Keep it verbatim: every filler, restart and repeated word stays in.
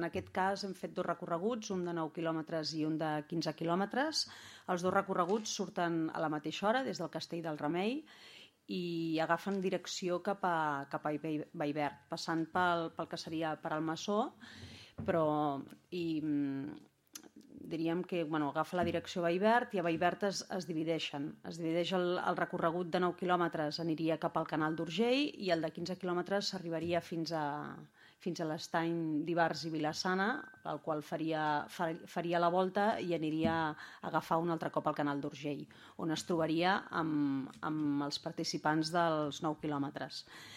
En aquest cas hem fet dos recorreguts, un de nou quilòmetres i un de quinze quilòmetres. Els dos recorreguts surten a la mateixa hora des del Castell del Remei i agafen direcció cap a, cap a Vallverd, passant pel, pel que seria per Almassor, però i, diríem que bueno, agafa la direcció a Vallverd i a Vallverd es, es divideixen. Es divideix el, el recorregut de nou quilòmetres, aniria cap al Canal d'Urgell, i el de quinze quilòmetres s'arribaria fins a, fins a l'estany d'Ivars i Vila-sana, el qual faria, faria la volta i aniria a agafar un altre cop al Canal d'Urgell, on es trobaria amb, amb els participants dels nou quilòmetres.